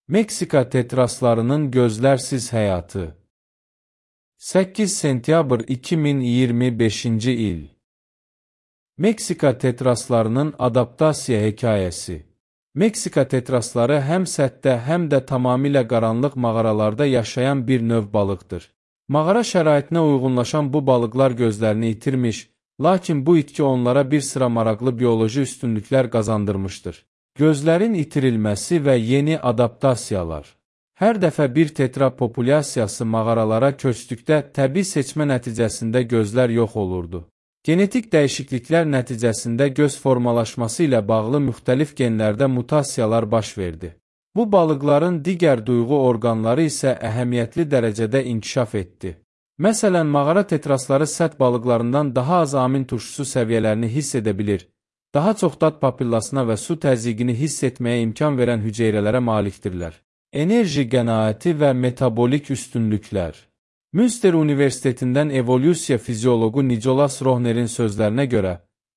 Meksika tetraslarının gözlərsiz həyatı. 8 sentyabr 2025-ci il. Meksika tetraslarının adaptasiya hekayəsi. Meksika tetrasları həm səthdə, həm də tamamilə qaranlıq mağaralarda yaşayan bir növ balıqdır. Mağara şəraitinə uyğunlaşan bu balıqlar gözlərini itirmiş, lakin bu itki onlara bir sıra maraqlı bioloji üstünlüklər qazandırmışdır. Gözlərin itirilməsi və yeni adaptasiyalar. Hər dəfə bir tetra populyasiyası mağaralara köçdükdə təbii seçmə nəticəsində gözlər yox olurdu. Genetik dəyişikliklər nəticəsində göz formalaşması ilə bağlı müxtəlif genlərdə mutasiyalar baş verdi. Bu balıqların digər duyğu orqanları isə əhəmiyyətli dərəcədə inkişaf etdi. Məsələn, mağara tetrasları səth balıqlarından daha az amin turşusu səviyyələrini hiss edə bilir, daha çox dad papillasına və su təzyiqini hiss etməyə imkan verən hüceyrələrə malikdirlər. Enerji qənaəti və metabolik üstünlüklər. Münster Universitetindən evolyusiya fiziologu Nicolas Rohner'in sözlərinə görə,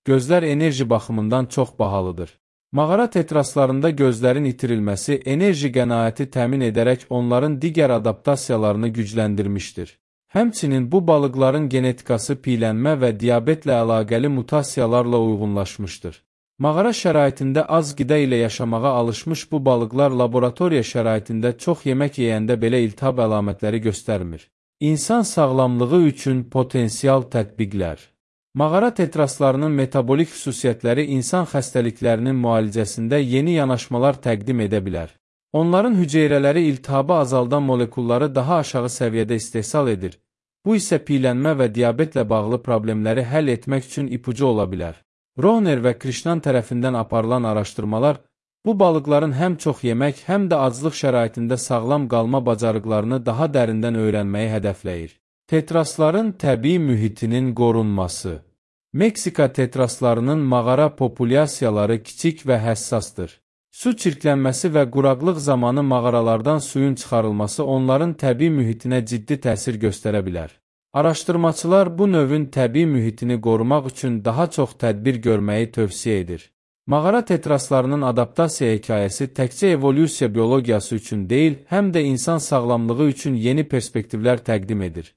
gözlər enerji baxımından çox bahalıdır. Mağara tetraslarında gözlərin itirilməsi enerji qənaəti təmin edərək onların digər adaptasiyalarını gücləndirmişdir. Həmçinin bu balıqların genetikası piylənmə və diabetlə əlaqəli mutasiyalarla uyğunlaşmışdır. Mağara şəraitində az qida ilə yaşamağa alışmış bu balıqlar laboratoriya şəraitində çox yemək yeyəndə belə iltihab əlamətləri göstərmir. İnsan sağlamlığı üçün potensial tətbiqlər. Mağara tetraslarının metabolik xüsusiyyətləri insan xəstəliklərinin müalicəsində yeni yanaşmalar təqdim edə bilər. Onların hüceyrələri iltihabı azaldan molekulları daha aşağı səviyyədə istehsal edir. Bu isə piylənmə və diabetlə bağlı problemləri həll etmək üçün ipucu ola bilər. Rohner və Krishnan tərəfindən aparılan araşdırmalar bu balıqların həm çox yemək, həm də aclıq şəraitində sağlam qalma bacarıqlarını daha dərindən öyrənməyi hədəfləyir. Tetrasların təbii mühitinin qorunması. Meksika tetraslarının mağara populyasiyaları kiçik və həssasdır. Su çirklənməsi və quraqlıq zamanı mağaralardan suyun çıxarılması onların təbii mühitinə ciddi təsir göstərə bilər. Araşdırmaçılar bu növün təbii mühitini qorumaq üçün daha çox tədbir görməyi tövsiyə edir. Mağara tetraslarının adaptasiya hekayəsi təkcə evolyusiya biologiyası üçün deyil, həm də insan sağlamlığı üçün yeni perspektivlər təqdim edir.